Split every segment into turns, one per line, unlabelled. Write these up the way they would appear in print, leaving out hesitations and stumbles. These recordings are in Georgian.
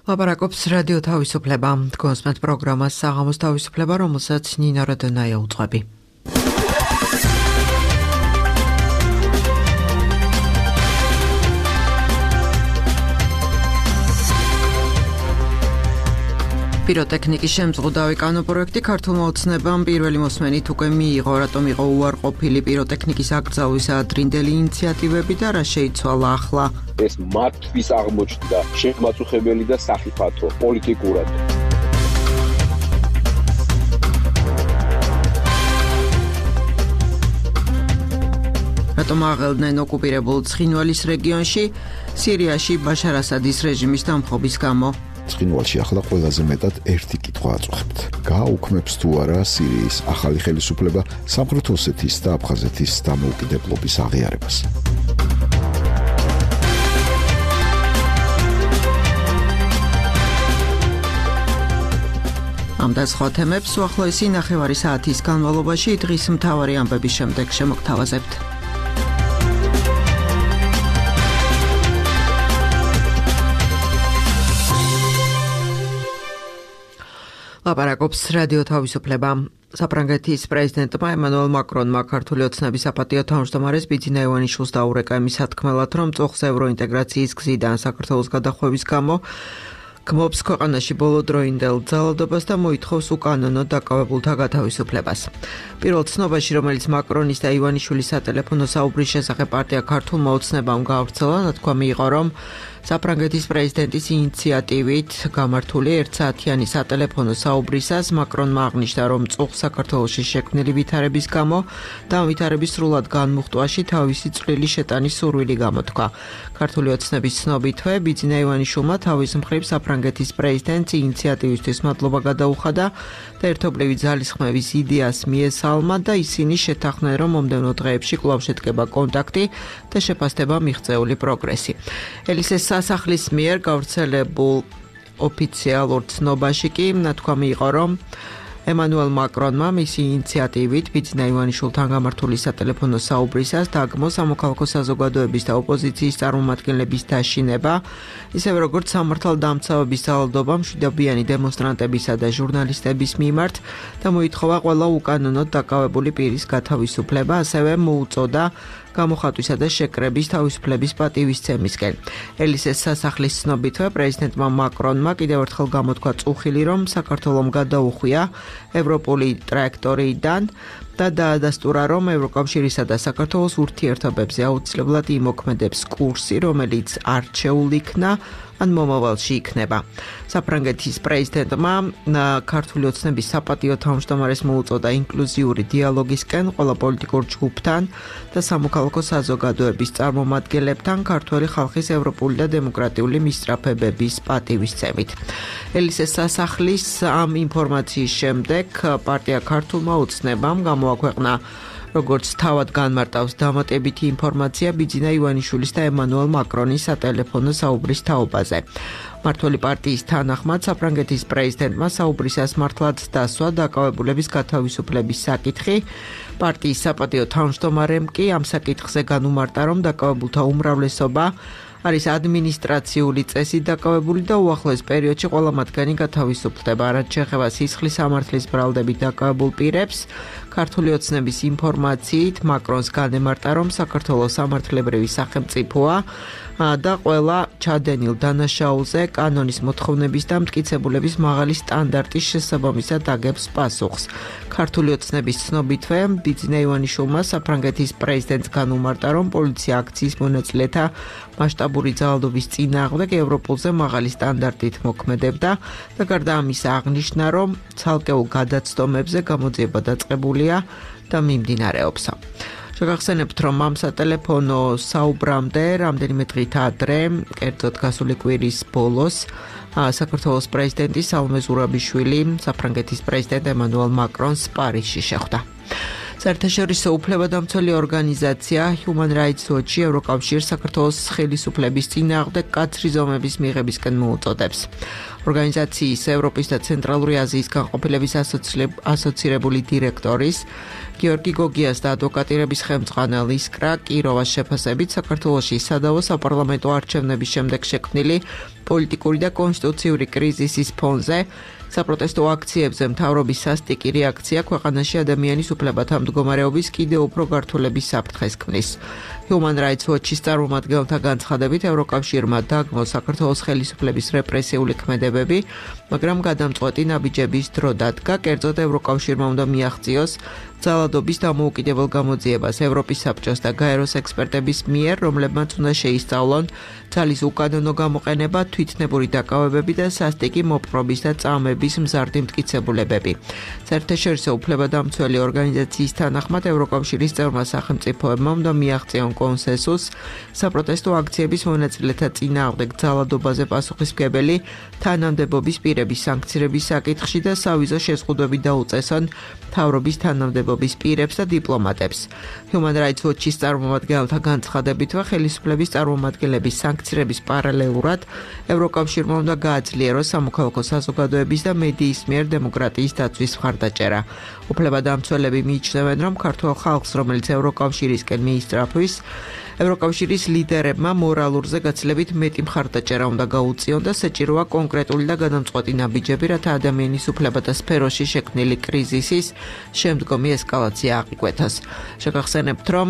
ლაპარაკობს რადიო თავისუფლება. თქვენს პროგრამას საღამოს თავისუფლება, რომელსაც ნინო როდონაია უძღვები. პიროტექნიკის შემზღუდავი კანოპროექტი ქართულმა ოცნებამ პირველი მოსმენით უკვე მიიღო, რატომ იყო უარყოფილი პიროტექნიკის აკრძალვის ადრინდელი ინიციატივები და რა შეიცვალა ახლა.
ეს მათთვის აღმოჩნდა შემაწუხებელი და სახიფათო პოლიტიკურად.
რატომ აღელდნენ ოკუპირებულ ცხინვალის რეგიონში, სირიაში ბაშარ ასადის რეჟიმის დამხობის გამო.
ცხინვალში ახლა ყველაზე მეტად ერთი კითხვა აწუხებთ. გააუქმებს თუ არა სირიის ახალი ხელისუფლება სამხრეთ ოსეთის და აფხაზეთის დამოუკიდებლობის აღიარებას.
ამ და სხვა თემებს უახლოესი ნახევარი საათის განმავლობაში დღის მთავარი ამბების შემდეგ შემოგთავაზებთ. ლაპარაკობს რადიო თავისუფლება. საფრანგეთის პრეზიდენტმა ემანუელ მაკრონმა ქართული ოცნების საპატიო თავმჯდომარეს ბიძინა ივანიშვილს დაურეკა იმის სათქმელად, რომ წუხს ევროინტეგრაციის გზიდან საქართველოს გადახვევის გამო გმობს ქვეყანაში ბოლოდროინდელ ძალადობას და მოითხოვს უკანონო დაკავებულთა გათავისუფლებას. პირველ ცნობაში, რომელიც მაკრონის და ივანიშვილის სატელეფონო საუბრის შესახებ პარტია ქართულმა ოცნებამ გაავრცელა, ნათქვამი იყო, რომ საფრანგეთის პრეზიდენტის ინიციატივით გამართული ერთსაათიანი სატელეფონო საუბრისას მაკრონმა აღნიშნა, რომ წუხს საქართველოში შექმნილი ვითარების გამო და ამ ვითარების სრულად განმუხტვაში თავისი წვლილი შეტანის სურვილი გამოთქვა. ქართული ოცნების ცნობითვე ბიძინა ივანიშვილმა თავის მხრივ საფრანგეთის პრეზიდენტს ინიციატივისთვის მადლობა გადაუხადა და ერთობლივი ძალისხმევის იდეას მიესალმა და ისინი შეთანხმდნენ, რომ მომდევნო დღეებში კვლავ შედგება კონტაქტი და შეფასდება მიღწეული პროგრესი. ელისეს სასახლის მიერ გავრცელებულ ოფიციალურ ცნობაში კი ნათქვამი იყო, რომ ემანუელ მაკრონმა მისი ინიციატივით ბიძინა ივანიშვილთან გამართული სატელეფონო საუბრისას დაგმო სამოქალაქო საზოგადოების და ოპოზიციის წარმომადგენლების დაშინება, ისევე როგორც სამართალდამცავების ძალადობა მშვიდობიანი დემონსტრანტებისა და ჟურნალისტების მიმართ და მოითხოვა ყველა უკანონოდ დაკავებული პირის გათავისუფლება, ასევე მოუწოდა გამოხატვისა და შეკრების თავისუფლების პატივისცემისკენ. ელისეს სასახლის ცნობითვე პრეზიდენტმა მაკრონმა კიდევ ერთხელ გამოთქვა წუხილი, რომ საქართველომ გადაუხვია ევროპული ტრაექტორიიდან და დაადასტურა, რომ ევროკავშირისა და საქართველოს ურთიერთობებზე აუცილებლად იმოქმედებს კურსი, რომელიც არჩეულ იქნა ან მომავალში იქნება. საფრანგეთის პრეზიდენტმა ქართული ოცნების საპატიო თავმჯდომარეს მოუწოდა ინკლუზიური დიალოგისკენ ყველა პოლიტიკურ ჯგუფთან და სამოქალაქო საზოგადოების წარმომადგენლებთან ქართველი ხალხის ევროპული და დემოკრატიული მისწრაფებების პატივისცემით. ელისეს სასახლის ამ ინფორმაციის შემდეგ პარტია ქართულმა ოცნებამ გამოაქვეყნა როგორც თავად განმარტავს დამატებითი ინფორმაცია ბიძინა ივანიშვილის და ემანუელ მაკრონის სატელეფონო საუბრის თაობაზე. მმართველი პარტიის თანახმად საფრანგეთის პრეზიდენტმა საუბრისას მართლაც დასვა დაკავებულების გათავისუფლების საკითხი. პარტიის საპატიო თავმჯდომარემ კი ამ საკითხზე განუმარტა, რომ დაკავებულთა უმრავლესობა არის ადმინისტრაციული წესით დაკავებული და უახლოეს პერიოდში ყველა მათგანი გათავისუფლდება. რაც შეეხება სისხლის სამართლის ბრალდებით დაკავებულ პირებს, ქართული ოცნების ინფორმაციით მაკრონს განემარტა, რომ საქართველოს სამართლებრივი სახელმწიფოა და ყველა ჩადენილ დანაშაულზე კანონის მოთხოვნების და მტკიცებულების მაღალი სტანდარტის შესაბამისად აგებს პასუხს. ქართული ოცნების ცნობითვე ბიძინა ივანიშვილმა საფრანგეთის პრეზიდენტს განუმარტა, რომ პოლიცია აქციის მონაწილეთა მასშტაბური ძალადობის წინააღმდეგ ევროპულზე მაღალი სტანდარტით მოქმედებდა და გარდა ამისა აღნიშნა, რომ ცალკეულ გადაცდომებზე გამოძიება დაწყებულია და მიმდინარეობს. შეგახსენებთ, რომ ამ სატელეფონო საუბრამდე რამდენიმე დღით ადრე, კერძოდ გასული კვირის ბოლოს, საქართველოს პრეზიდენტი სალომე ზურაბიშვილი საფრანგეთის პრეზიდენტ ემანუელ მაკრონს პარიზში შეხვდა. საერთაშორისო უფლებადამცველი ორგანიზაცია Human Rights Watch ევროკავშირს საქართველოს ხელისუფლების წინააღმდეგ კაცრი ზომების მიღებისკენ მოუწოდებს. ორგანიზაციის ევროპის და ცენტრალური აზიის განყოფილების ასოცირებული დირექტორის გიორგი გოგიას და ადვოკატირების ხელმძღვანელ ისკრა კიროვას შეფასებით საქართველოში სადავო საპარლამენტო არჩევნების შემდეგ შექმნილი პოლიტიკური და კონსტიტუციური კრიზისის ფონზე საპროტესტო აქციებზე მთავრობის სასტიკი რეაქცია ქვეყანაში ადამიანის უფლებათა მდგომარეობის კიდევ უფრო გართულების საფრთხეს ქმნის. Human Rights Watch-ის წარმომადგენელთა განცხადებით ევროკავშირმა დაგმო საქართველოს ხელისუფლების რეპრესიული ქმედებები, მაგრამ გადამწყვეტი ნაბიჯების დრო დადგა, კერძოდ ევროკავშირმა უნდა მიაღწიოს ძალადობის დამოუკიდებელ გამოძიებას ევროპის საბჭოს და გაეროს ექსპერტების მიერ, რომლებმაც უნდა შეისწავლონ ძალის უკანონო გამოყენება, თვითნებური დაკავებები და სასტიკი მოპყრობის და წამების მზარდი მტკიცებულებები. საერთაშორისო უფლებადამცველი ორგანიზაციის თანახმად ევროკავშირის წევრმა სახელმწიფოებმა უნდა მიაღწიონ კონსენსუსს საპროტესტო აქციების მონაწილეთა წინააღმდეგ ძალადობაზე პასუხისმგებელი თანამდებობის პირების სანქცირების საკითხში და სავიზო შეზღუდვები დაუწესონ მთავრობის თანამდებობის პირებს და დიპლომატებს. Human Rights Watch-ის წარმომადგენელთა განცხადებითვე ხელისუფლების წარმომადგენლების სანქცირების პარალელურად ევროკავშირმა უნდა გააძლიეროს სამოქალაქო საზოგადოების და მედიის მიერ დემოკრატიის დაცვის მხარდაჭერა. უფლებადამცველები მიიჩნევენ, რომ ქართულ ხალხს, რომელიც ევროკავშირისკენ მიისწრაფვის, ევროკავშირის ლიდერებმა მორალურზე გაცილებით მეტი მხარდაჭერა უნდა გაუწიონ და საჭიროა კონკრეტული და გადამწყვეტი ნაბიჯები, რათა ადამიანის უფლებათა სფეროში შექმნილი კრიზისის შემდგომი ესკალაცია აღიკვეთოს. შეგახსენებთ, რომ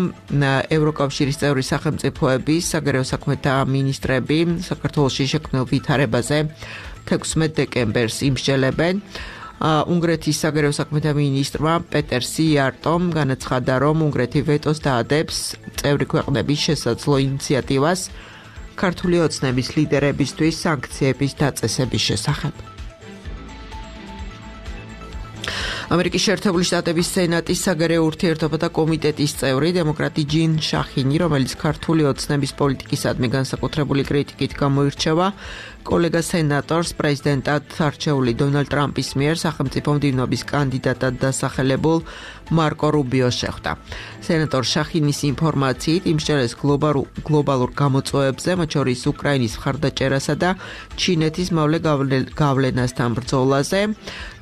ევროკავშირის წევრი სახელმწიფოების საგარეო საქმეთა მინისტრები საქართველოში შექმნილ ვითარებაზე 16 დეკემბერს იმსჯელებენ. უნგრეთის საგარეო საქმეთა მინისტრმა პეტერ სიარტომ განაცხადა, რომ უნგრეთი ვეტოს დაადებს წევრი ქვეყნების შესაძლო ინიციატივას ქართული ოცნების ლიდერებისთვის სანქციების დაწესების შესახებ. ამერიკის შეერთებული შტატების სენატის საგარეო ურთიერთობათა კომიტეტის წევრი დემოკრატი ჯინ შახინი, რომელიც ქართული ოცნების პოლიტიკისადმი განსაკუთრებული კრიტიკით გამოირჩევა, კოლეგა სენატორს პრეზიდენტად არჩეული დონალდ ტრამპის მიერ სახელმწიფო მდივნობის კანდიდატად დასახელებულ მარკო რუბიოს შეხვდა. სენატორ შახინის ინფორმაციით იმსჯელეს გლობალურ გამოწვევებზე, მათ შორის უკრაინის მხარდაჭერასა და ჩინეთის მავლე გავლენასთან ბრძოლაზე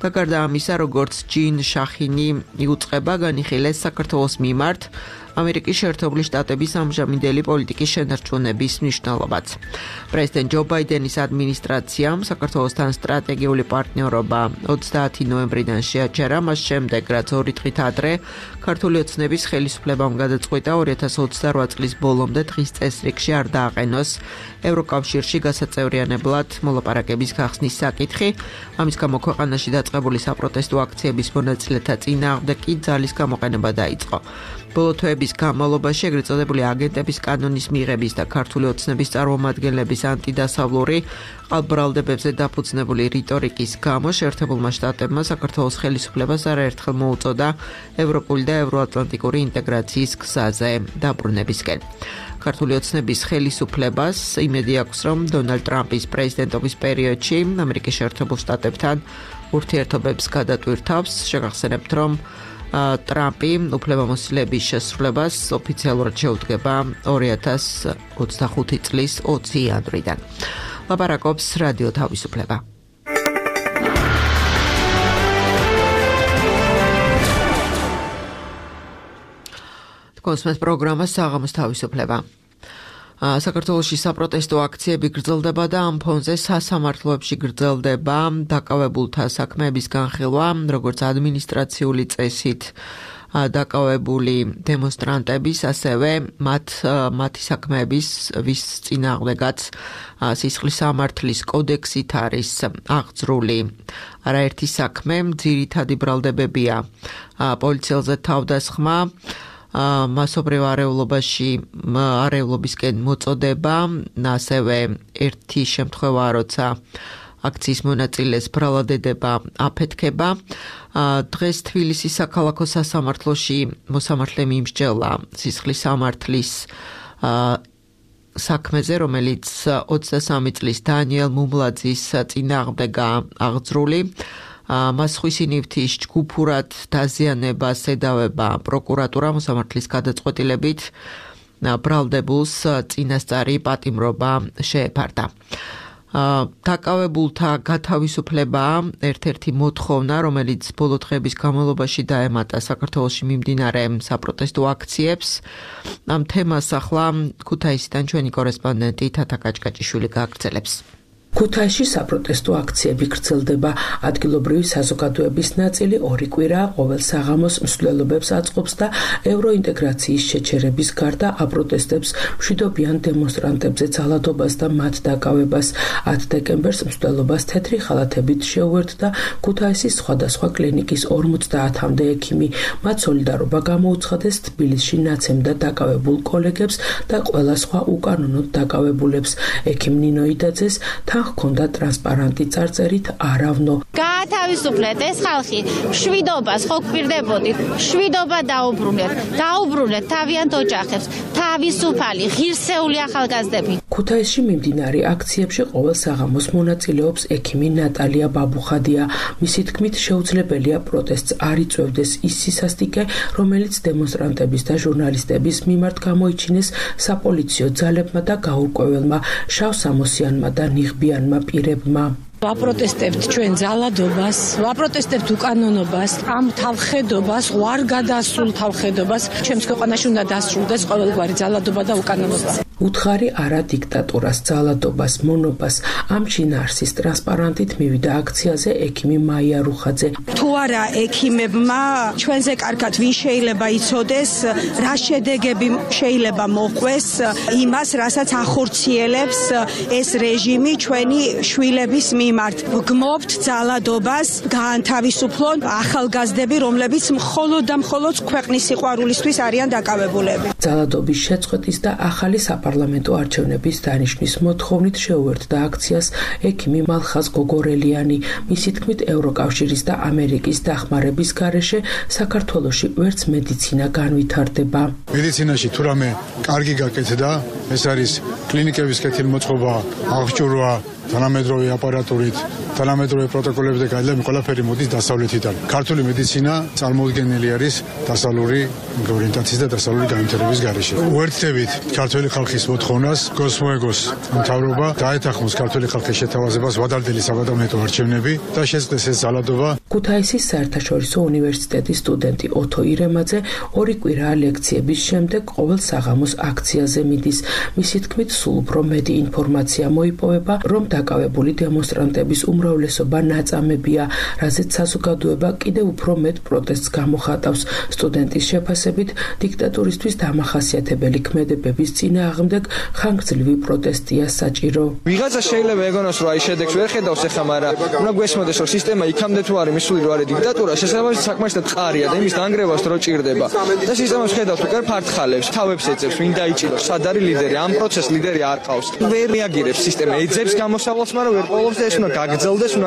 და გარდა ამისა, როგორც ჯინ შახინი იუწყება განიხილეს საქართველოს მიმართ ამერიკის შეერთებული შტატების ამჟამინდელი პოლიტიკის შენარჩუნების მნიშვნელობაც. პრეზიდენტ ჯო ბაიდენის ადმინისტრაციამ საქართველოსთან სტრატეგიული პარტნიორობა 30 ნოემბრიდან შეაჩერა, მას შემდეგ, რაც 2 დღით ადრე ქართული ოცნების ხელისუფლებამ გადაწყვიტა 2028 წლის ბოლომდე დღის წესრიგში არ დააყენოს ევროკავშირში გასაწევრიანებლად მოლაპარაკების გახსნის საკითხი. ამის გამო ქვეყანაში დაწყებული საპროტესტო აქციების მონაწილეთა წინააღმდეგ კი ძალის გამოყენება დაიწყო. ბოლო თვეების განმავლობაში ეგრეთ წოდებული აგენტების კანონის მიღების და ქართული ოცნების წარმომადგენლების ანტიდასავლური ყალბრალდებებზე დაფუძნებული რიტორიკის გამო შეერთებულმა შტატებმა საქართველოს ხელისუფლებას არაერთხელ მოუწოდა ევროპული და ევროატლანტიკური ინტეგრაციის გზაზე დაბრუნებისკენ. ქართული ოცნების ხელისუფლებას იმედი აქვს, რომ დონალდ ტრამპის პრეზიდენტობის პერიოდში ამერიკის შეერთებულ შტატებთან ურთიერთობებს გადატვირთავს. შეგახსენებთ, რომ ტრამპი უფლებამოსილების შესრულებას ოფიციალურად შეუდგება 2025 წლის 20 იანვრიდან. ლაპარაკობს რადიო თავისუფლება. კონსმეს პროგრამა საღამოს თავისუფლება. საქართველოში საპროტესტო აქციები გრძელდება და ამ ფონზე სასამართლოებში გრძელდება დაკავებულთა საქმეების განხილვა, როგორც ადმინისტრაციული წესით დაკავებული დემონსტრანტების, ასევე მათი საქმეების, ვის წინააღმდეგაც სისხლის სამართლის კოდექსით არის აღძრული არაერთი საქმე, ძირითადი ბრალდებებია პოლიციელზე თავდასხმა, მასობრივ არეულობისკენ მოწოდება, ასევე ერთი შემთხვევა, როცა აქციის მონაწილეს ბრალადედება აფეთქება. დღეს თბილისის საქალაქო სასამართლოში მოსამართლემ იმსჯელა სისხლის სამართლის საქმეზე, რომელიც 23 წლის დანიელ მუმლაძის წინააღმდეგაა აღძრული. მას ხვის ნივთის ჯგუფურად დაზიანებას ედავება პროკურატურა მოსამართლის გადაწყვეტილებით ბრალდებულს წინასწარი პატიმრობა შეეფარდა. დაკავებულთა გათავისუფლება ერთ-ერთი მოთხოვნა, რომელიც ბოლო დღეების განმავლობაში დაემატა საქართველოში მიმდინარე საპროტესტო აქციებს. ამ თემას ახლა ქუთაისიდან ჩვენი კორესპონდენტი თათა კაჭკაჭიშვილი გააგრძელებს.
ქუთაისში საპროტესტო აქციები გრძელდება. ადგილობრივი საზოგადოების ნაწილი 2 კვირაა ყოველ საღამოს მსვლელობებს აწყობს და ევროინტეგრაციის შეჩერების გარდა აპროტესტებს მშვიდობიან დემონსტრანტებზე ძალადობას და მათ დაკავებას. 10 დეკემბერს მსვლელობას თეთრი ხალათებით შეუერთდა ქუთაისის სხვადასხვა კლინიკის 50-მდე ექიმი. მათ სოლიდარობა გამოუცხადეს თბილისში ნაცემდა დაკავებულ კოლეგებს და ყველა სხვა უკანონოდ დაკავებულებს. ექიმ ნინო იდაძეს ჰქონდა ტრანსპარანტი წარწერით არავნო.
გაათავისუფლეთ ეს ხალხი, მშვიდობას ხო გვპირდებოდით, მშვიდობა დაუბრუნეთ თავიანთ ოჯახებს, თავისუფალი, ღირსეული ახალგაზრდები.
ქუთაისში მიმდინარე აქციებში ყოველ საღამოს მონაწილეობს ექიმი ნატალია ბაბუხადია. მისი თქმით, შეუძლებელია პროტესტს არ იწვევდეს ის სისასტიკე, რომელიც დემონსტრანტების და ჟურნალისტების მიმართ გამოიჩინეს საპოლიციო ძალებმა და გაურკვეველმა შავსამოსიანმა და ნიღბიანმა პირებმა.
ვაპროტესტებთ ჩვენ ძალადობას, ვაპროტესტებთ უკანონობას, ამ თავხედობას, ვარ გადასულ თავხედობას, ჩემს ქვეყანაში უნდა დასრულდეს ყოველგვარი ძალადობა და უკანონობა.
უთხარი არა დიქტატურას, ძალადობას, მონობას. ამ შინაარსის ტრანსპარანტით მივიდა აქციაზე ექიმი მაია რუხაძე.
თუ არა ექიმებმა ჩვენზე კარგად ვინ შეიძლება იცოდეს, რა შედეგები შეიძლება მოყვეს იმას, რასაც ახორციელებს ეს რეჟიმი ჩვენი შვილების მიმართ. გმობთ ძალადობას, გაანთავისუფლონ ახალგაზრდები, რომლებიც მხოლოდ და მხოლოდ ქვეყნის სიყვარულისთვის არიან დაკავებულები.
ძალადობის შეწყვეტის და ახალი საპარლამენტო არჩევნების დანიშნვის მოთხოვნით შეუერთდა აქციას ექიმი მალხაზ გოგორელიანი. მისი თქმით, ევროკავშირის და ამერიკის დახმარების გარეშე საქართველოში ვერც მედიცინა განვითარდება.
მედიცინაში თუ რამე კარგი გაკეთდა, ეს არის კლინიკების კეთილმოწყობა, აღჭურვა, თანამედროვე აპარატურით, თანამედროვე პროტოკოლები და გაიდლები ყველაფერი მოდის დასავლეთიდან. ქართული მედიცინა წარმოუდგენელი არის დასავლური ორიენტაციის და დასავლური განვითარების გარეშე. უერთდებით ქართული ხალხის მოთხოვნას, გოსმოეგოს მთავრობა დაეთანხმოს ქართული ხალხის შეთავაზებას ვადარდელი საპარლამენტო არჩევნები და შეწყდეს ეს ძალადობა.
ქუთაისის საერთაშორისო უნივერსიტეტის სტუდენტი ოთო ირემაძე 2 კვირაა ლექციების შემდეგ ყოველ საღამოს აქციაზე მიდის. მისი თქმით, სულ უფრო მეტი ინფორმაცია მოიპოვება, რომ დაკავებული დემონსტრანტების უმრავლესობა ნაწამებია, რაზეც საზოგადოება კიდევ უფრო მეტ პროტესტს გამოხატავს. სტუდენტის შეფასებით, დიქტატურისთვის დამახასიათებელი ქმედებების წინააღმდეგ ხანგრძლივი პროტესტია საჭირო.
ვიღაცა შეიძლება ეგონოს, რომ აი შედეგს ვერ ხედავს ახლა, მაგრამ უნდა გვესმოდეს, რომ სისტემა იქამდე თუ არის მისული, რომ არის დიქტატურა, შესაბამისად საკმარისად ყარია და იმის დანგრევას დრო ჭირდება. და სისტემას ხედავთ, უკვე ფართხალებს, თავებს ეძებს, ვინ დაიჭიროს, სად არის ლიდერი, ამ პროცესს ლიდერი არ ყავს. ვერ რეაგირებს სისტემა, ეძებს გამოსავალს, მაგრამ ვერ პოულობს და ეს უნდა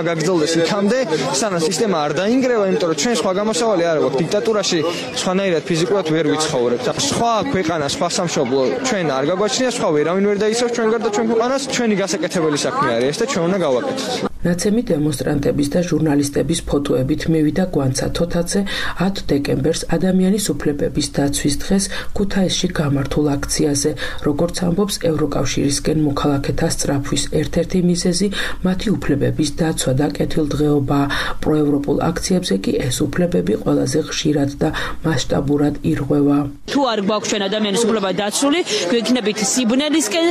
გაგრძელდეს იქამდე, სანამ სისტემა არ დაინგრევა, იმიტომ რომ ჩვენ სხვა გამოსავალი არ აქვს. დიქტატურაში სხვანაირად ფიზიკურად ვერ ვიცხოვრებთ. სხვა ქვეყანა, სხვა სამშობლო ჩვენ არ გაგვაჩნია, სხვა ვერავინ ვერ დაიცავს ჩვენ გარდა ჩვენ ქვეყანას. ჩვენი გასაკეთებელი საქმე არის ეს და ჩვენ უნდა გავაკეთოთ.
ნაცემი დემონსტრანტების და ჟურნალისტების ფოტოებით მივიდა გვანცა თოთაძე 10 დეკემბერს ადამიანის უფლებების დაცვის დღეს ქუთაისში გამართულ აქციაზე. როგორც ამბობს ევროკავშირისკენ მოქალაქეთა სწრაფვის ერთ-ერთი მიზეზი მათი უფლებების დაცვა და კეთილდღეობა. პროევროპულ აქციებზე კი ეს უფლებები ყველაზე ხშირად და მასშტაბურად ირღვევა.
თუ არ გვაქვს ჩვენ ადამიანის უფლება დაცული, გვექნებით სიბნელისკენ,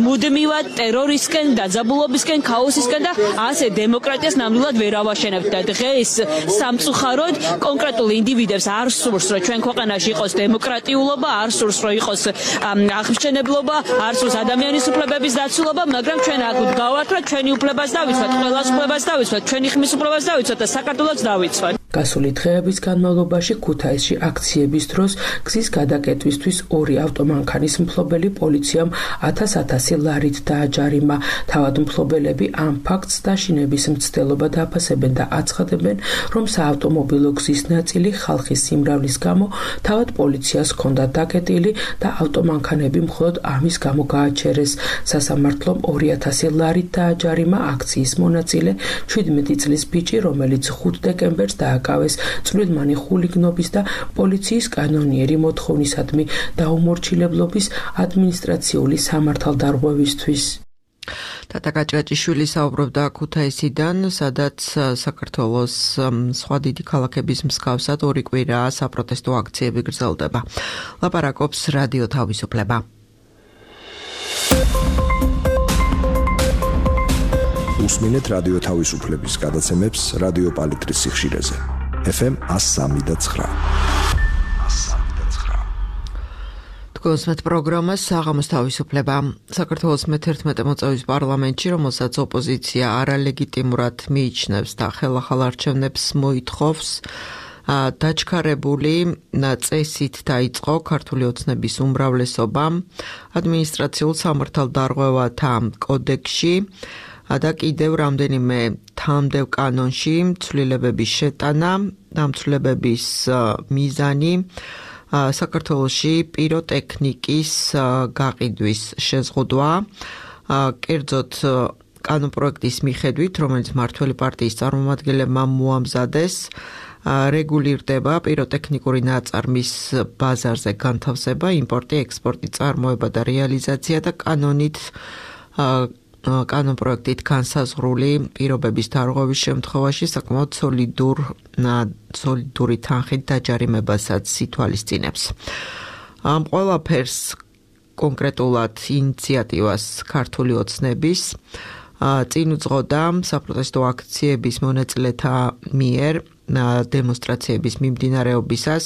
მუდმივად ტერორისკენ, დაძაბულობისკენ, ქაოსისკენ და ასე დემოკრატიას ნამდვილად ვერ ავაშენებთ და დღეს სამწუხაროდ კონკრეტულ ინდივიდებს არ სურს, რომ ჩვენ ქვეყანაში იყოს დემოკრატიულობა, არ სურს, რომ იყოს აღმშენებლობა, არ სურს ადამიანის უფლებების დაცულობა, მაგრამ ჩვენ აქ ვდგავართ, რომ ჩვენი უფლებას დავიცვათ, ყველას უფლებას დავიცვათ, ჩვენი ხმის უფლებას დავიცვათ და საქართველოს დავიცვათ.
გასული დღეების განმავლობაში ქუთაისში აქციების დროს გზის გადაკეტვისთვის 2 ავტომანქანის მფლობელი პოლიციამ 1000 ლარით დააჯარიმა. თავად მფლობელები ამ ფაქტს დაშინების მცდელობა დაფასებენ და აცხადებენ, რომ საავტომობილო გზის ნაწილი ხალხის სიმრავლის გამო თავად პოლიციას ჰქონდა დაკეტილი და ავტომანქანები მხოლოდ ამის გამო გააჩერეს. სასამართლომ 2000 ლარით დააჯარიმა აქციის მონაწილე 17 წლის ბიჭი, რომელიც 5 დეკემბერს დააკავეს წვრილმანი ხულიგნობის და პოლიციის კანონიერი მოთხოვნისადმი დაუმორჩილებლობის ადმინისტრაციული სამართალდარღვევისთვის.
თათა გაჭაჭიშვილი საუბრობდა ქუთაისიდან, სადაც საქართველოს სხვა დიდი ქალაქების მსგავსად 2 კვირაა საპროტესტო აქციები გრძელდება. ლაპარაკობს რადიო თავისუფლება.
უსმინეთ რადიო თავისუფლების გადაცემებს რადიო პალიტრის სიხშირეზე. FM 103.9.
გოსმეთ პროგრამას საღამოს თავისუფლება. საქართველოს მე-11 მოწვევის პარლამენტში, რომელსაც ოპოზიცია არალეგიტიმურად მიიჩნევს და ხელახალ არჩევნებს მოითხოვს, დაჩქარებული წესით დაიწყო ქართული ოცნების უმრავლესობა ადმინისტრაციულ სამართალდარღვევათა კოდექსში და კიდევ რამდენიმე თანმდევ კანონში ცვლილებების შეტანა, ამ ცვლილებების მიზანი საქართველოში პიროტექნიკის გაყიდვის შეზღუდვა, კერძოდ კანონპროექტის მიხედვით, რომელიც მმართველი პარტიის წარმომადგენლებმა მოამზადეს, რეგულირდება პიროტექნიკური ნაწარმის ბაზარზე განთავსება, იმპორტი, ექსპორტი, წარმოება და რეალიზაცია და კანონპროექტით განსაზღვრული პირობების დარღვევის შემთხვევაში საკმაოდ სოლიდური თანხით დაჯარიმებასაც ითვალისწინებს. ამ ყველაფერს კონკრეტულად ინიციატივას ქართული ოცნების წინ უძღოდა საპროტესტო აქციების მონაწილეთა მიერ დემონსტრაციების მიმდინარეობისას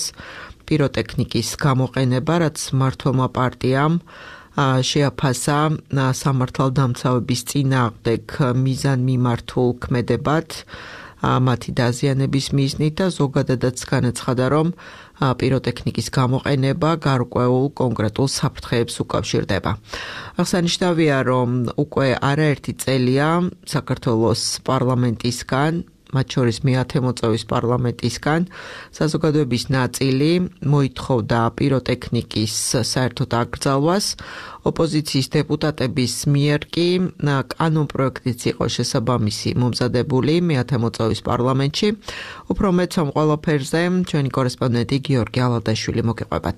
პიროტექნიკის გამოყენება, რაც მმართველმა პარტიამ შეაფასა სამართალდამცავების წინააღმდეგ მიზანმიმართულ ქმედებად, მათი დაზიანების მიზნით და ზოგადადაც განაცხადა, რომ პიროტექნიკის გამოყენება გარკვეულ კონკრეტულ საფრთხეებს უკავშირდება. აღსანიშნავია, რომ უკვე არაერთი წელია საქართველოს პარლამენტისგან, მათ შორის მე-10 მოწვევის პარლამენტისგან საზოგადოების ნაწილი მოითხოვდა პიროტექნიკის საერთოდ აკრძალვას. ოპოზიციის დეპუტატების მიერ კი კანონპროექტიც იყო შესაბამისი მომზადებული მე-10 მოწვევის პარლამენტში. უფრო მეტს ამ ყველაფერზე ჩვენი კორესპონდენტი გიორგი ალადაშვილი მოგიყვებათ.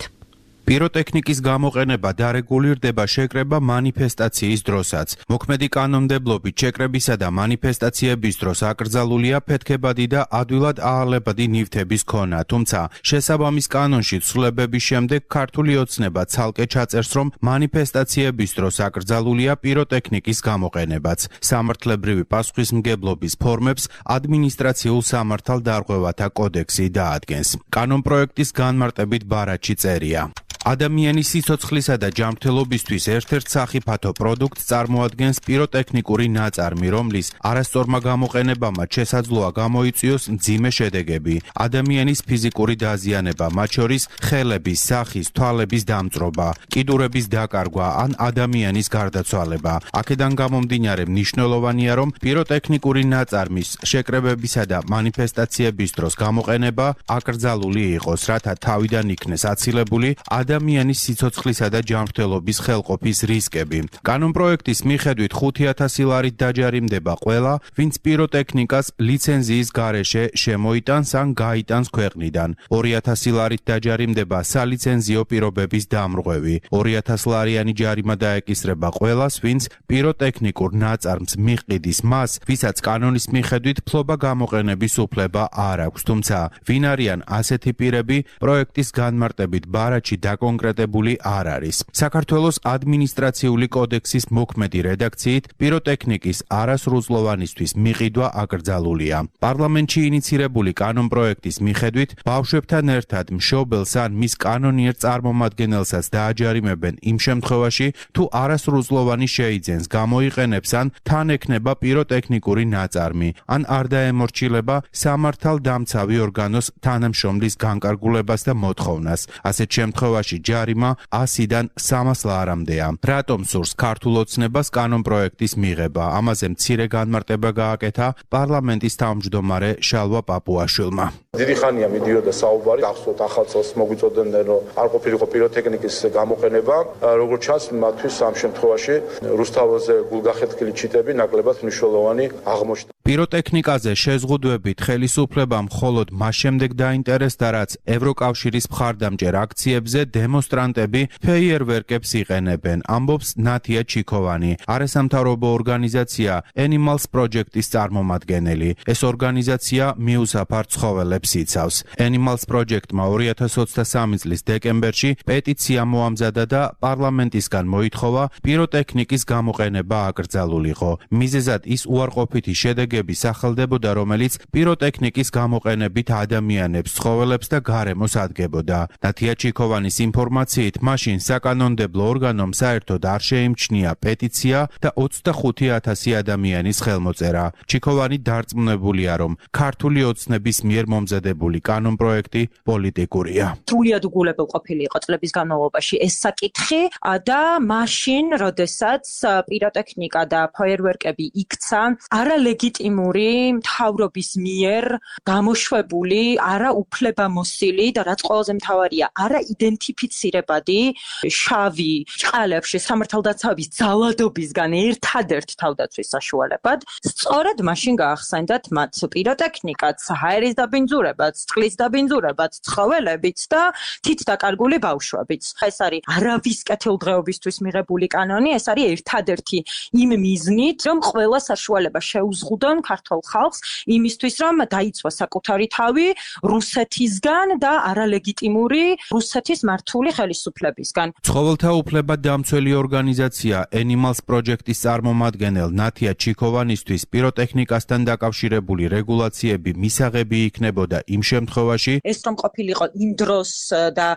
პიროტექნიკის გამოყენება დარეგულირდება შეკრება მანიფესტაციის დროსაც. მოქმედი კანონმდებლობით შეკრებისა და მანიფესტაციების დროს აკრძალულია ფეთქებადი და ადვილად აალებადი ნივთების ქონა, თუმცა შესაბამის კანონში ცვლილებების შემდეგ ქართული ოცნება ცალკე ჩაწერს, რომ მანიფესტაციების დროს აკრძალულია პიროტექნიკის გამოყენებაც. სამართლებრივი პასუხისმგებლობის ფორმებს ადმინისტრაციულ სამართალდარღვევათა კოდექსი დაადგენს. კანონპროექტის განმარტებით ბარათში წერია. ადამიანის სიცოცხლისა და ჯანმრთელობისთვის ერთ-ერთ სახიფათო პროდუქტს წარმოადგენს პიროტექნიკური ნაწარმი, რომლის არასწორმა გამოყენებამ შესაძლოა გამოიწვიოს მძიმე შედეგები, ადამიანის ფიზიკური დაზიანება, მათ შორის ხელების, სახის, თვალების დამწვრობა, კიდურების დაკარგვა ან ადამიანის გარდაცვალება. აქედან გამომდინარე მნიშვნელოვანია, რომ პიროტექნიკური ნაწარმის შეკრებებისა და მანიფესტაციების დროს გამოყენება აკრძალული იყოს, რათა თავიდან იქნეს აცილებული ადამიანის სიცოცხლისა და ჯანმრთელობის ხელყოფის რისკები. კანონპროექტის მიხედვით 5,000 ლარით დაჯარიმდება ყველა, ვინც პიროტექნიკას ლიცენზიის გარეშე შემოიტანს ან გაიტანს ქვეყნიდან. 2,000 ლარით დაჯარიმდება სალიცენზიო პირობების დამრღვევი. 2,000 ლარიანი ჯარიმა დაეკისრება ყველას, ვინც პიროტექნიკურ ნაწარმს მიჰყიდის მას, ვისაც კანონის მიხედვით ფლობა გამოყენების უფლება არ აქვს. თუმცა, ვინ არიან ასეთი პირები, პროექტის განმარტებით ბარათში კონკრეტებული არ არის. საქართველოს ადმინისტრაციული კოდექსის მოქმედი რედაქციით პიროტექნიკის არასრულწლოვანისთვის მიყიდვა აკრძალულია. პარლამენტში ინიცირებული კანონპროექტის მიხედვით ბავშვებთან ერთად მშობელს ან მის კანონიერ წარმომადგენელსაც დააჯარიმებენ იმ შემთხვევაში, თუ არასრულწლოვანი შეიძენს, გამოიყენებს ან თან ექნება პიროტექნიკური ნაწარმი, ან არ დაემორჩილება სამართალდამცავი ორგანოს თანამშრომლის განკარგულებას და მოთხოვნას. ასეთ შემთხვევაში ჯარიმა 100-დან 300 ლარამდეა. რატომ სურს ქართულ ოცნებას კანონპროექტის მიღება? ამაზე მცირე განმარტება გააკეთა პარლამენტის თავმჯდომარე შალვა პაპუაშვილმა.
დიდი ხანია მიდიოდა საუბარი, ახსოვთ ახალ წელს მოგვიწოდებდნენ, რომ არ ყოფილიყო პიროტექნიკის გამოყენება, როგორც ჩანს, მათთვის ამ შემთხვევაში რუსთაველზე გულგახეთქილი ჩიტები ნაკლებად მნიშვნელოვანი აღმოჩნდა.
პიროტექნიკაზე შეზღუდვებით ხელისუფლებამ მხოლოდ მას შემდეგ დაინტერესდა, რაც ევროკავშირის მხარდამჭერ აქციებზე დემონსტრანტები ფეიერვერკებს იყენებენ, ამბობს ნათია ჩიქოვანი, არასამთავრობო ორგანიზაცია Animals Project-ის წარმომადგენელი. ეს ორგანიზაცია მიუსაფარ ცხოველებს იცავს. Animals Project-მა 2023 წლის დეკემბერში პეტიცია მოამზადა და პარლამენტისგან მოითხოვა პიროტექნიკის გამოყენება აკრძალულიყო. მიზეზად ის უარყოფითი შედეგები სახელდებოდა, რომელიც პიროტექნიკის გამოყენებით ადამიანებს, ცხოველებს და გარემოს ადგებოდა. ნათია ჩიქოვანის ინფორმაციით, მაშინ საკანონმდებლო ორგანომ საერთოდ არ შეიმჩნია პეტიცია და 25,000 ადამიანის ხელმოწერა. ჩიქოვანი დარწმუნებულია, რომ ქართული ოცნების მიერ მომზადებული კანონპროექტი პოლიტიკურია.
სრულიად უგულებელ ყოფილი იყო წლების განმავლობაში ეს საკითხი და მაშინ, როდესაც პიროტექნიკა და ფაიერვერკები იქცა, არალეგიტიმური მთავრობის მიერ გამოშვებული, არაუფლებამოსილი და რაც ყველაზე მთავარია, არაიდენტიფიცირებადი შავი ჭყალებში სამართალდაცავების ძალადობისგან ერთადერთ თავდაცვის საშუალებად, სწორედ მაშინ გაახსენდათ მათ პიროტექნიკაც, ჰაერის დაბინძურებაც, წყლის დაბინძურებაც, ცხოველებიც და თითდაკარგული ბავშვებიც. ეს არის არავის კეთილდღეობისთვის მიღებული კანონი, ეს არის ერთადერთი იმ მიზნით, რომ ყველა საშუალება შეუზღუდონ ქართულ ხალხს იმისთვის, რომ დაიცვა საკუთარი თავი რუსეთისგან და არალეგიტიმური რუსეთის მართული ხელისუფლებისგან.
ცხოველთა უფლებად დამცველი ორგანიზაცია Animals Project-ის წარმომადგენელ ნათია ჩიქოვანისთვის პიროტექნიკასთან დაკავშირებული რეგულაციები მისაღები იქნებოდა იმ შემთხვევაში,
ეს რომ ყოფილიყო იმ დროს და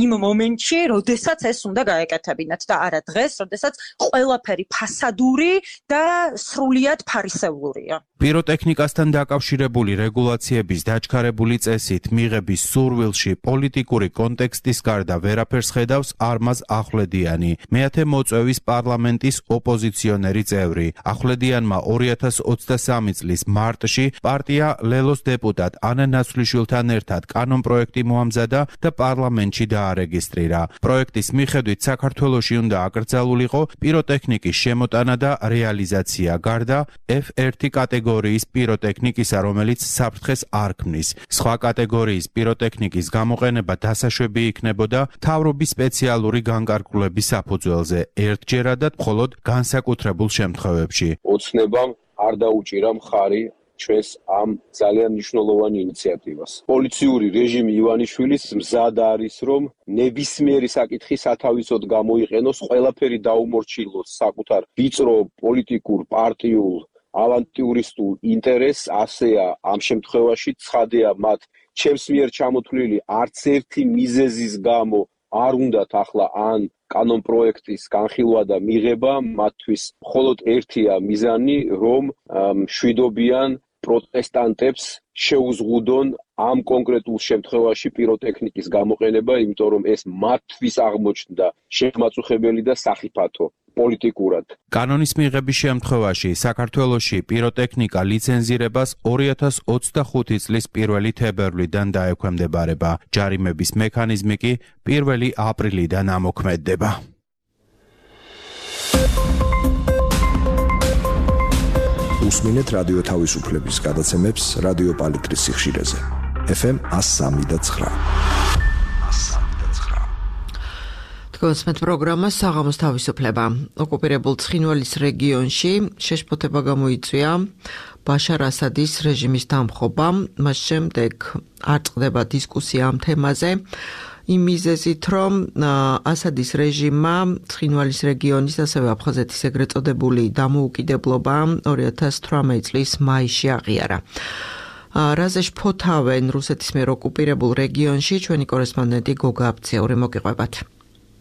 იმ მომენტში, როდესაც ეს უნდა გაეკეთებინათ და არა დღეს, როდესაც ყველაფერი ფასადური და სრულიად ფარისევლურია.
პიროტექნიკასთან დაკავშირებული რეგულაციების დაჩქარებული წესით მიღების სურვილში პოლიტიკური კონტექსტის გარდა ვერაფერს ხედავს არმაზ ახვლედიანი, მეათე მოწვევის პარლამენტის ოპოზიციონერი წევრი. ახვლედიანმა 2023 წლის მარტში პარტია ლელოს დეპუტატ ანა ნაცვლიშვილთან ერთად კანონპროექტი მოამზადა და პარლამენტში დაარეგისტრირა. პროექტის მიხედვით საქართველოში უნდა აკრძალულიყო პიროტექნიკის შემოტანა და რეალიზაცია გარდა F1 კატეგორიის პიროტექნიკისა, რომელიც საფრთხეს არ ქმნის. სხვა კატეგორიის პიროტექნიკის გამოყენება დასაშვები იქნებოდა მთავრობის სპეციალური განკარგულების საფუძველზე, ერთჯერადად მხოლოდ განსაკუთრებულ შემთხვევებში.
ოცნებამ არ დაუჭირა მხარი ჩვენს ამ ძალიან მნიშვნელოვან ინიციატივას. პოლიციური რეჟიმი ივანიშვილის მზად არის, რომ ნებისმიერი საკითხი სათავისოდ გამოიყენოს, ყველაფერი დაუმორჩილოს საკუთარ ვიწრო პოლიტიკურ პარტიულ ავანტიურისტულ ინტერესს, ასეა ამ შემთხვევაში ცხადია მათ ჩემს მიერ ჩამოთვლილი არც ერთი მიზეზის გამო არ უნდათ ახლა ან კანონპროექტის განხილვა და მიღება, მათთვის მხოლოდ ერთია მიზანი, რომ მშვიდობიან პროტესტანტებს შეუზღუდონ ამ კონკრეტულ შემთხვევაში პიროტექნიკის გამოყენება, იმიტომ რომ ეს მათთვის აღმოჩნდა შემაწუხებელი და სახიფათო. პოლიტიკურად.
კანონის მიღების შემთხვევაში საქართველოში პიროტექნიკა ლიცენზირებას 2025 წლის 1 თებერვლიდან დაექვემდებარება. ჯარიმების მექანიზმი კი 1 აპრილიდან ამოქმედდება.
უსმინეთ რადიო თავისუფლების გადაცემებს რადიო პალიტრის სიხშირეზე. FM 103.9.
თქვენს პროგრამა საღამოს თავისუფლება. ოკუპირებულ ცხინვალის რეგიონში შეშფოთება გამოიწვია ბაშარ ასადის რეჟიმის დამხობა. მას შემდეგ არ წყდება დისკუსია ამ თემაზე. იმ მიზეზით, რომ ასადის რეჟიმმა ცხინვალის რეგიონის, ასევე აფხაზეთის ეგრეთ წოდებული დამოუკიდებლობა 2018 წლის მაისში აღიარა. რაზე შფოთავენ რუსეთის მიერ ოკუპირებულ რეგიონში ჩვენი კორესპონდენტი გოგა აბციური, მოგიყვებათ.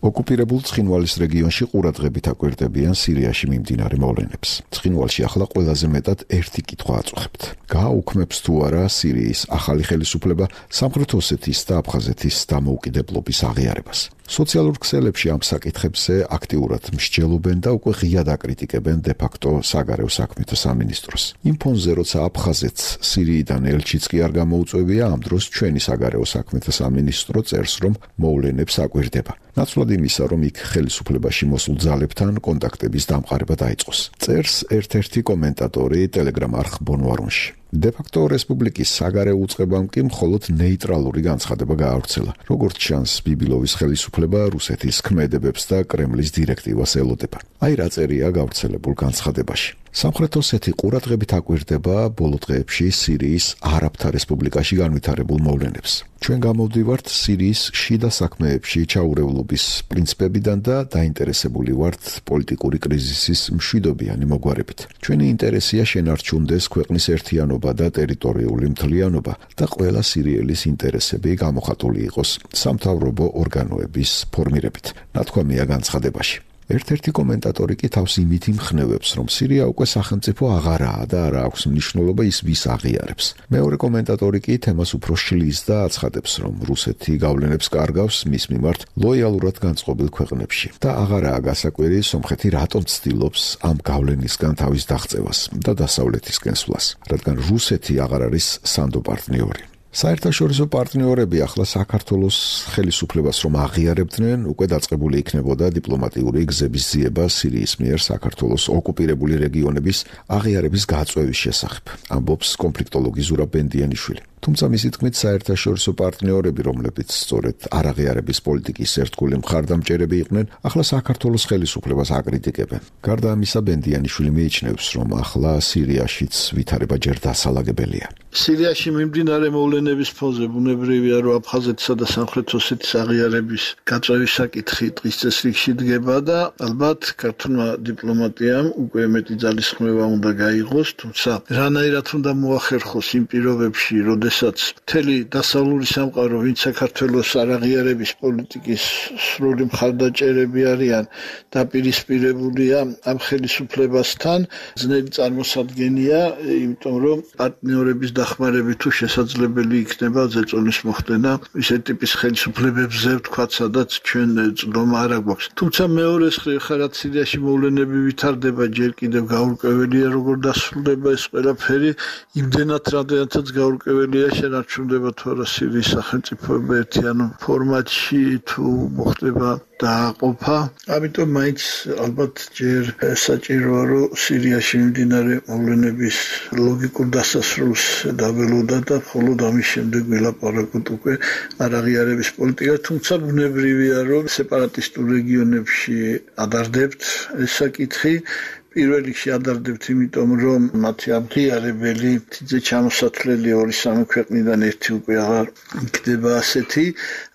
ოკუპირებულ ცხინვალის რეგიონში ყურადღებით აკვირდებიან სირიაში მიმდინარე მოვლენებს. ცხინვალში ახლა ყველაზე მეტად ერთი კითხვა აწუხებთ. გააუქმებს თუ არა სირიის ახალი ხელისუფლება სამხრეთ ოსეთის და აფხაზეთის დამოუკიდებლობის აღიარებას. სოციალურ ქსელებში ამ საკითხებზე აქტიურად მსჯელობენ და უკვე ღიად აკრიტიკებენ დე-ფაქტო საგარეო საქმეთა სამინისტროს. იმ ფონზე, როცა აფხაზეთს სირიიდან ელჩიც კი არ გამოუწვევია, ამ დროს ჩვენი საგარეო საქმეთა სამინისტრო წერს, რომ მოვლენებს აკვირდება. ნაცვლად იმისა, რომ იქ ხელისუფლებაში მოსულ ძალებთან კონტაქტების დამყარება დაიწყოს. წერს ერთ-ერთი კომენტატორი ტელეგრამ არხ ბონვარონში. დე-ფაქტო რესპუბლიკის საგარეო უწყებამ კი მხოლოდ ნეიტრალური განცხადება გაავრცელა. როგორც ჩანს, ბიბილოვის ხელისუფლება რუსეთის ქმედებებს და კრემლის დირექტივას ელოდება. აი რა წერია გავრცელებულ განცხადებაში. სამხრეთ ოსეთი ყურადღებით აკვირდება ბოლო დღეებში სირიის არაბთა რესპუბლიკაში განვითარებულ მოვლენებს. ჩვენ გამოვდივართ სირიის შიდა საქმეებში ჩაურევლობის პრინციპებიდან და დაინტერესებული ვართ პოლიტიკური კრიზისის მშვიდობიანი მოგვარებით. ჩვენი ინტერესია შენარჩუნდეს ქვეყნის ერთიანობა და ტერიტორიული მთლიანობა და ყველა სირიელის ინტერესები გამოხატული იყოს სამთავრობო ორგანოების ფორმირებით. ნათქვამია განცხადებაში. ერთ-ერთი კომენტატორი კი თავს იმით იმხნევებს, რომ სირია უკვე სახელმწიფო აღარაა და არ აქვს მნიშვნელობა ის ვის აღიარებს. მეორე კომენტატორი კი თემას უფრო შლის და აცხადებს, რომ რუსეთი გავლენებს კარგავს მის მიმართ ლოიალურად განწყობილ ქვეყნებში და აღარაა გასაკვირი სომხეთი რატომ ცდილობს ამ გავლენისგან თავის დაღწევას და დასავლეთისკენ სვლას, რადგან რუსეთი აღარ არის სანდო პარტნიორი. საერთაშორისო პარტნიორები ახლა საქართველოს ხელისუფლებას რომ აღიარებდნენ, უკვე დაწყებული იქნებოდა დიპლომატიური გზების ძიება სირიის მიერ საქართველოს ოკუპირებული რეგიონების აღიარების გაწევის შესახებ, ამბობს კონფლიქტოლოგი ზურაბ ბენდიანიშვილი. თუმცა მისი თქმით საერთაშორისო პარტნიორები, რომლებიც სწორედ არაღიარების პოლიტიკის ერთგული მხარდამჭერები იყვნენ, ახლა საქართველოს ხელისუფლებას აკრიტიკებენ. გარდა ამისა, ბენდიანიშვილი მიიჩნევს, რომ ახლა სირიაშიც ვითარება ჯერ დასალაგებელია.
სირიაში მიმდინარე მოვლენების ფონზე ბუნებრივია, რომ აფხაზეთისა და სამხრეთ ოსეთის აღიარების გაწევის საკითხი დღის წესრიგში დგება და ალბათ ქართულმა დიპლომატიამ უკვე მეტი ძალისხმევა უნდა გაიღოს, თუმცა რანაირად უნდა მოახერხოს იმ პირობებში, როდესაც მთელი დასავლური სამყარო, ვინც საქართველოს არაღიარების პოლიტიკის სრული მხარდაჭერები არიან, დაპირისპირებულია ამ ხელისუფლებასთან, ძნელი წარმოსადგენია, იმიტომ რომ პარტნიორების დახმარებით თუ შესაძლებელი იქნება ზეწოლის მოხდენა ისეთ ტიპის ხელისუფლებებზე, ვთქვათ, სადაც ჩვენ წლომა არ აქვს. თუმცა მეორეს ხარად სირიაში მოვლენები ვითარდება, ჯერ კიდევ გაურკვეველია, როგორ დასრულდება ეს ყველაფერი, იმდენად რამდენადაც გაურკვეველია, შენარჩუნდება თუ არა სირიის სახელმწიფოება ერთიან ფორმატში, თუ მოხდება დააყოფა. ამიტომ მაინც ალბათ ჯერ საჭიროა, რომ სირიაში მიმდინარე მოვლენების ლოგიკურ დასასრულს დაველოდა და მხოლოდ ამის შემდეგ ვილაპარაკოთ უკვე არაღიარების პოლიტიკას, თუმცა ბუნებრივია, რომ სეპარატისტულ რეგიონებში ადარდებთ ეს საკითხი. პირველ რიგში ადარდებთ, იმიტომ რომ მათი აღიარებელი თიძე ჩამოსათვლელი 2-3 ქვეყნიდან ერთი უკვე აღარ იქნება ასეთი.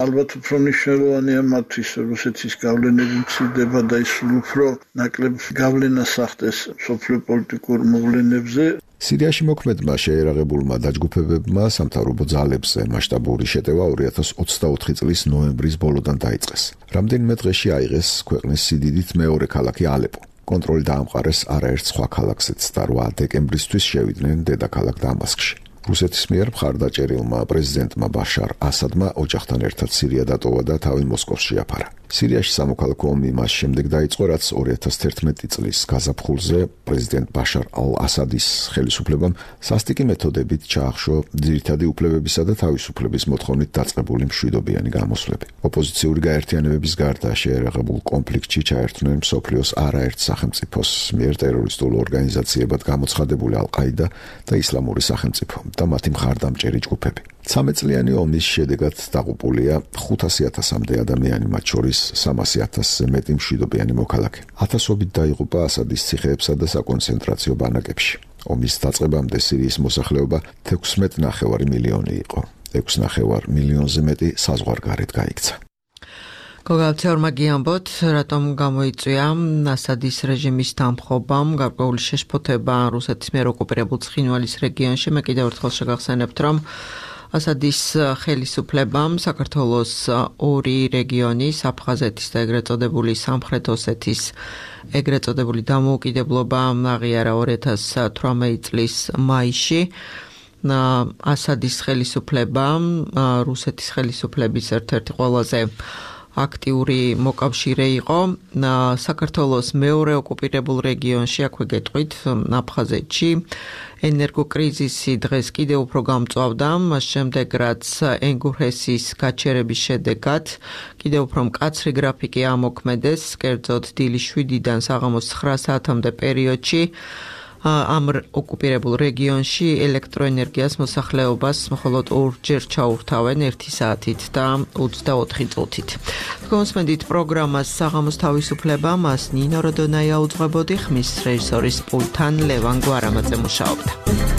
ალბათ უფრო მნიშვნელოვანია მათთვის, რომ რუსეთის გავლენები მცირდება და ის უფრო ნაკლებ გავლენას ახდენს სოფლიო პოლიტიკურ მოვლენებზე.
სირიაში მოქმედმა შეერაღებულმა დაჯგუფებებმა სამთავრობო ძალებზე მასშტაბური შეტევა 2024 წლის ნოემბრის ბოლოდან დაიწყეს. რამდენიმე დღეში აიღეს ქვეყნის სიდიდით მეორე ქალაქი ალეპო. კონტროლი დაამყარეს არაერთ სხვა ქალაქზეც და 8 დეკემბრისთვის შევიდნენ დედაქალაქ დამასკში. რუსეთის მიერ მხარდაჭერილმა პრეზიდენტმა ბაშარ ასადმა ოჯახთან ერთად სირია დატოვა და თავი მოსკოვს შეაფარა. სირიაში სამოქალაქო ომი მას შემდეგ დაიწყო, რაც 2011 წლის გაზაფხულზე პრეზიდენტ ბაშარ ალ-ასადის ხელისუფლებამ სასტიკი მეთოდებით ჩაახშო ძირითადი უფლებებისა და თავისუფლების მოთხოვნით დაწყებული მშვიდობიანი გამოსვლები. ოპოზიციური გაერთიანებების გარდა შეერაღებულ კონფლიქტში ჩაერთვნენ მსოფლიოს არაერთ სახელმწიფოს მიერ ტერორისტულ ორგანიზაციებად გამოცხადებული ალ-ყაიდა და ისლამური სახელმწიფო და მათი მხარდამჭერი ჯგუფები. 13 წლიანი ომის შედეგად დაღუპულია 500,000-მდე ადამიანი, მათ შორის 300,000-ზე მეტი მშვიდობიანი მოქალაქე. ათასობით დაიღუპა ასადის ციხეებსა და საკონცენტრაციო ბანაკებში. ომის დაწყებამდე სირიის მოსახლეობა 16,5 მილიონი იყო. 6,5 მილიონზე მეტი საზღვარგარეთ გაიქცა.
გოგალცეორმა გიამბოთ, რატომ გამოიწვია ასადის რეჟიმის დამხობამ გარკვეული შეშფოთება რუსეთის მიერ ოკუპირებულ ცხინვალის რეგიონში. მე კიდევ ერთხელ შეგახსენებთ, რომ ასადის ხელისუფლებამ საქართველოს 2 რეგიონის, აფხაზეთის და ეგრეთ წოდებული სამხრეთ ოსეთის ეგრეთ წოდებული დამოუკიდებლობა აღიარა 2018 წლის მაისში. ასადის ხელისუფლება რუსეთის ხელისუფლების ერთ-ერთი ყველაზე აქტიური მოკავშირე იყო. საქართველოს მეორე ოკუპირებულ რეგიონში, აქვე გეტყვით, აფხაზეთში ენერგოკრიზისი დღეს კიდევ უფრო გამწვავდა, მას შემდეგ რაც ენგურჰესის გაჩერების შედეგად კიდევ უფრო მკაცრი გრაფიკი ამოქმედეს, კერძოდ დილის 7-დან საღამოს 9 საათამდე პერიოდში ამ ოკუპირებულ რეგიონში ელექტროენერგიას მოსახლეობას მხოლოდ 2 ჯერ ჩაურთავენ 1 საათით და 24 წუთით. გონსმენდით პროგრამას საღამოს თავისუფლება, მას ნინო როდონაია უძღვებოდი, ხმის რეჟისორის პულტთან ლევან გვარამაძე მუშაობდა.